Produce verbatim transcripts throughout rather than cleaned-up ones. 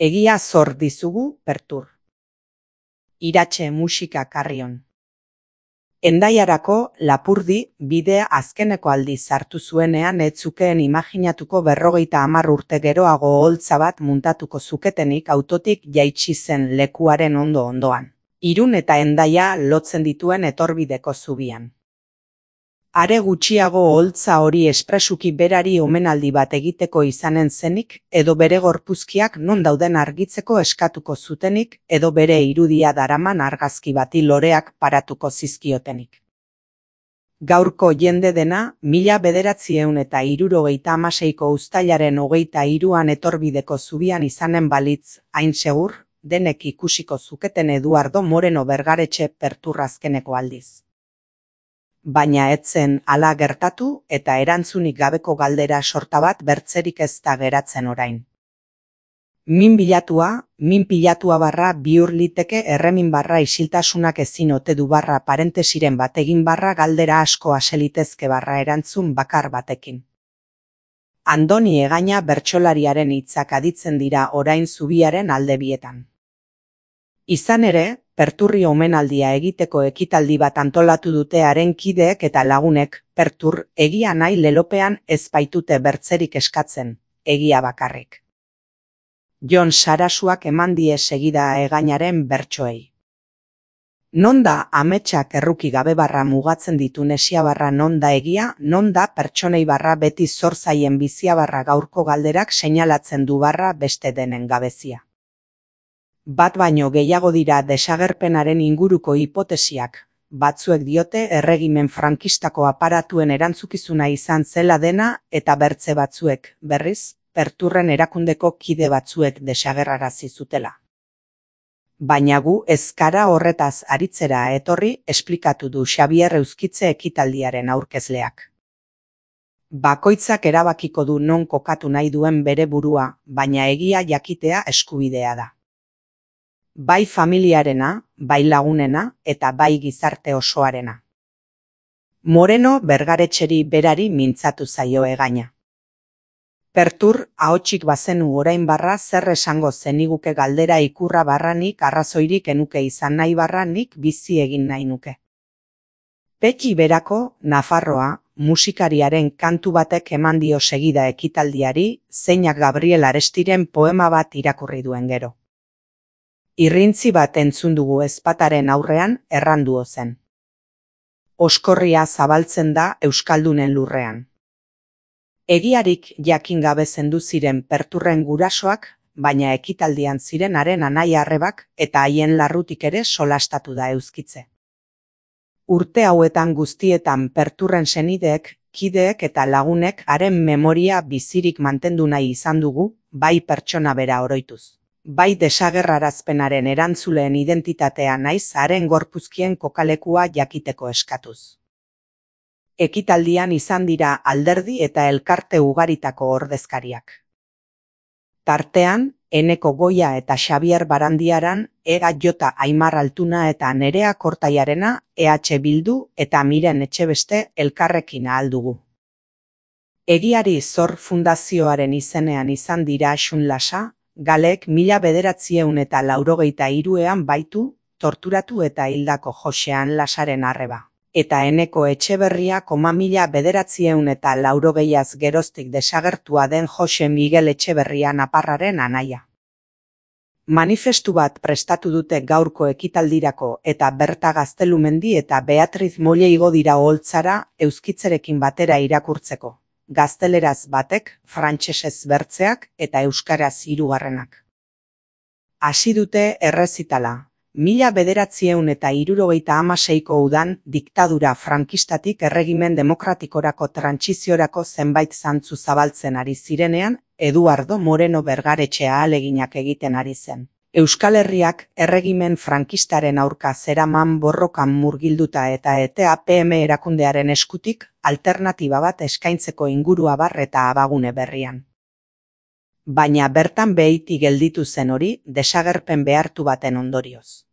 Egia zor dizugu Pertur. Iratxe musika Karrion. Endaiarako Lapurdi bidea azkeneko aldiz hartu zuenean ez zukeen imaginatuko berrogeita hamar urte geroago oholtza bat muntatuko zuketenik autotik jaitsi zen lekuaren ondo ondoan. Irun eta Hendaia lotzen dituen etorbideko zubian. Are gutxiago oholtza hori espresuki berari omenaldi bat egiteko izanen zenik, edo bere gorpuzkiak non dauden argitzeko eskatuko zutenik, edo bere irudia daraman argazki bati loreak paratuko zizkiotenik. Gaurko jende dena, mila bederatziehun eta hirurogeita hamaseiko uztailaren hogeita hiruan etorbideko zubian izanen balitz, hain segur, denek ikusiko zuketen Eduardo Moreno Bergaretxe Pertur azkeneko aldiz. Baina etzen hala gertatu eta erantzunik gabeko galdera sorta bat bertzerik ez da geratzen orain. Min bilatua, min pilatua barra bihur liteke erremin barra isiltasunak ezin ote du barra parentesiren bategin barra galdera asko aselitezke barra erantzun bakar batekin. Andoni Egaña bertsolariaren hitzak aditzen dira orain zubiaren alde bietan. Izan ere, Perturri omenaldia egiteko ekitaldi bat antolatu dute haren kideek eta lagunek, Pertur, egia nahi lelopean ez baitute bertzerik eskatzen, egia bakarrik. Jon Sarasuak eman die segida Egañaren bertsoei. Non da ametsak erruki gabe barra mugatzen ditu nesia barra non da egia, non da pertsonei barra beti zor zaien bizia barra gaurko galderak seinalatzen du barra beste denen gabezia. Bat baino gehiago dira desagerpenaren inguruko hipotesiak, batzuek diote erregimen frankistako aparatuen erantzukizuna izan zela dena eta bertze batzuek, berriz, Perturren erakundeko kide batzuek desagerrarazi zutela. Baina gu ez gara horretaz aritzera etorri esplikatu du Xabier Euskitze ekitaldiaren aurkezleak. Bakoitzak erabakiko du non kokatu nahi duen bere burua, baina egia jakitea eskubidea da. Bai familiarena, bai lagunena eta bai gizarte osoarena. Moreno Bergaretxeri berari mintzatu zaio Egaña. Pertur, ahotsik bazenu orain barra zer esango zeniguke galdera ikurra barranik arrazoirik enuke izan nahi barranik bizi egin nahi nuke. Peki berako, Nafarroa, musikariaren kantu batek eman dio segida ekitaldiari, zeinak Gabriel Arestiren poema bat irakurri duen gero. Irrintzi bat entzun dugu ezpataren aurrean erranduo zen. Oskorria zabaltzen da euskaldunen lurrean. Egiarik jakin gabe zendu ziren Perturren gurasoak, baina ekitaldian ziren haren anai arrebak eta haien larrutik ere solastatu da Euskitze. Urte hauetan guztietan Perturren senideek, kideek eta lagunek haren memoria bizirik mantendu nahi izan dugu, bai pertsona bera oroituz. Bai desagerrarazpenaren erantzuleen identitatea naiz haren gorpuzkien kokalekua jakiteko eskatuz. Ekitaldian izan dira alderdi eta elkarte ugaritako ordezkariak. Tartean, Eneko Goia eta Xabier Barandiaran, Ega Jota Aimar Altuna eta Nerea Kortaiarena, E H Bildu eta Miren Etxebeste elkarrekin ahal dugu. Egiari Zor Fundazioaren izenean izan dira Asun Lasa, Galek mila bederatzieun eta laurogeita hiruean baitu, torturatu eta hildako Josean Lasaren arreba. Eta Eneko Etxeberria koma mila bederatzieun eta laurogeiaz geroztik desagertua den Jose Miguel Etxeberria naparraren anaia. Manifestu bat prestatu dute gaurko ekitaldirako eta Berta Gaztelumendi eta Beatriz Molle igo dira oholtzara Euskitzerekin batera irakurtzeko. Gazteleraz batek, frantsesez bertzeak eta euskaraz hirugarrenak. Hasi dute errezitala. Mila bederatzieun eta hirurogeita hamaseiko udan diktadura frankistatik erregimen demokratikorako trantsiziorako zenbait zantzu zabaltzen ari zirenean, Eduardo Moreno Bergaretxe ahaleginak egiten ari zen. Euskal Herriak erregimen frankistaren aurka zeraman borrokan murgilduta eta E T A P M erakundearen eskutik alternatiba bat eskaintzeko ingurua bar eta abagune berrian. Baina bertan behiti gelditu zen hori desagerpen behartu baten ondorioz.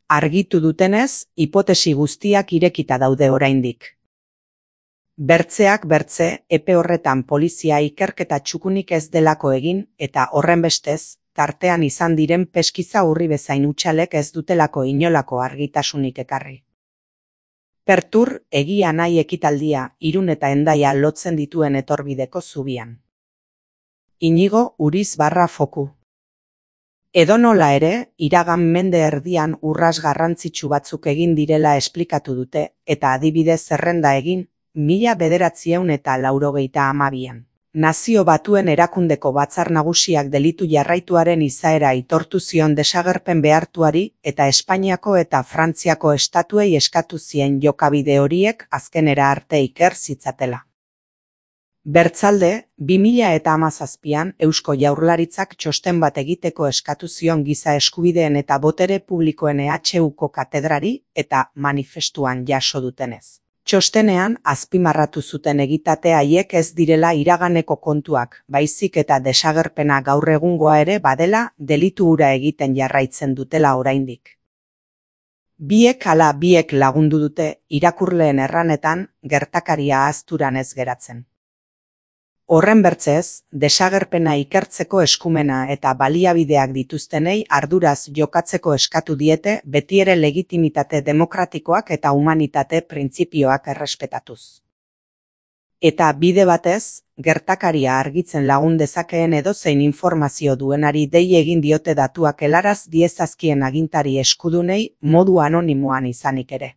Argitu dutenez, hipotesi guztiak irekita daude oraindik. Bertzeak bertze, epe horretan polizia ikerketa txukunik ez delako egin eta horrenbestez, tartean izan diren peskiza urri bezain utxalek ez dutelako inolako argitasunik ekarri. Pertur egia nahi ekitaldia Irun eta Hendaia lotzen dituen etorbideko zubian. Inigo Uriz barra foku. Edonola ere, iragan mende erdian urras garrantzitsu batzuk egin direla esplikatu dute, eta adibidez zerrenda egin, mila bederatziehun eta laurogeita hamabian. Nazio Batuen Erakundeko Batzar Nagusiak delitu jarraituaren izaera aitortu zion desagerpen behartuari eta Espainiako eta Frantziako estatuei eskatu zien jokabide horiek azkenera arte iker zitzatela. Bertzalde, bi mila eta hamazazpian Eusko Jaurlaritzak txosten bat egiteko eskatu zion giza eskubideen eta botere publikoen E H Uko katedrari eta manifestuan jaso dutenez. Txostenean azpimarratu zuten egitate haiek ez direla iraganeko kontuak, baizik eta desagerpena gaur egungoa ere badela delitu hura egiten jarraitzen dutela oraindik. Biek ala biek lagundu dute irakurleen erranetan gertakaria ahazturan ez geratzen. Horren bertzez, desagerpena ikertzeko eskumena eta baliabideak dituztenei arduraz jokatzeko eskatu diete betiere legitimitate demokratikoak eta humanitate printzipioak errespetatuz. Eta bide batez, gertakaria argitzen lagun dezakeen edozein informazio duenari dei egin diote datuak helaraz diezazkien agintari eskudunei modu anonimoan izanik ere.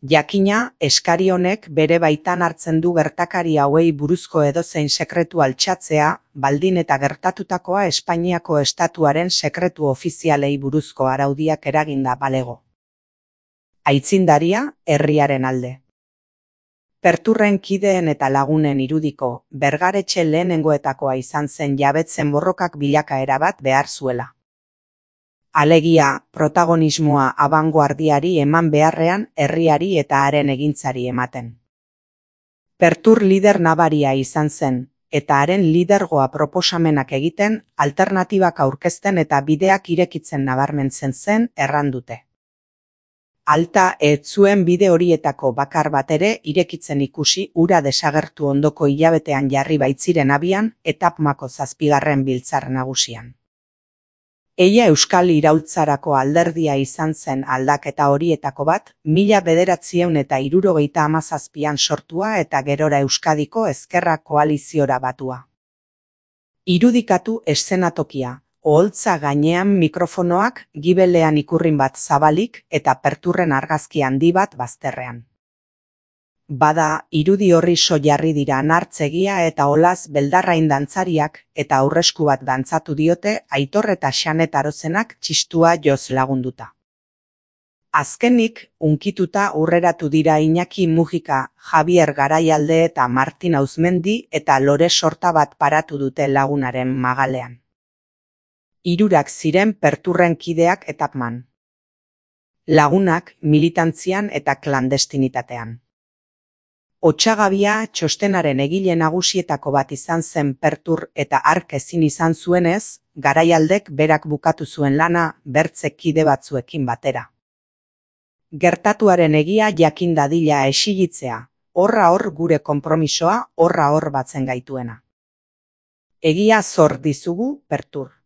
Jakina, eskari honek bere baitan hartzen du gertakari hauei buruzko edozein sekretu altxatzea, baldin eta gertatutakoa Espainiako estatuaren sekretu ofizialei buruzko araudiak eraginda balego. Aitzindaria, herriaren alde. Perturren kideen eta lagunen irudiko, Bergaretxe lehenengoetakoa izan zen jabetzen borrokak bilakaera bat behar zuela. Alegia, protagonismoa abangoardiari eman beharrean herriari eta haren egintzari ematen. Pertur lider nabaria izan zen, eta haren lidergoa proposamenak egiten, alternatibak aurkezten eta bideak irekitzen nabarmentzen zen erran dute. Alta ez zuen bide horietako bakar bat ere irekitzen ikusi hura desagertu ondoko hilabetean jarri baitziren abian etapmako zazpigarren biltzar nagusian. Eia Euskal Iraultzarako alderdia izan zen aldaketa horietako bat, mila bederatziehun eta hirurogeita hamazazpian sortua eta gerora Euskadiko Ezkerra koaliziora batua. Irudikatu eszenatokia, oholtza gainean mikrofonoak, gibelean ikurrin bat zabalik eta perturren argazki handi bat bazterrean. Bada, irudi horri so jarri dira nartzegia eta olaz beldarrain dantzariak eta aurresku bat dantzatu diote Aitor eta Xanet Arozenak txistua joz lagunduta. Azkenik, unkituta urreratu dira Iñaki Mujika, Javier Garaialde eta Martin Auzmendi eta Lore Sorta bat paratu dute lagunaren magalean. Hirurak ziren perturren kideak etapman. Lagunak militantzian eta klandestinitatean. Otsagabia txostenaren egile nagusietako bat izan zen pertur eta hark ezin izan zuenez, Garaialdek berak bukatu zuen lana bertze kide batzuekin batera. Gertatuaren egia jakin dadila esigitzea, horra hor gure konpromisoa horra hor batzen gaituena. Egia zor dizugu, pertur.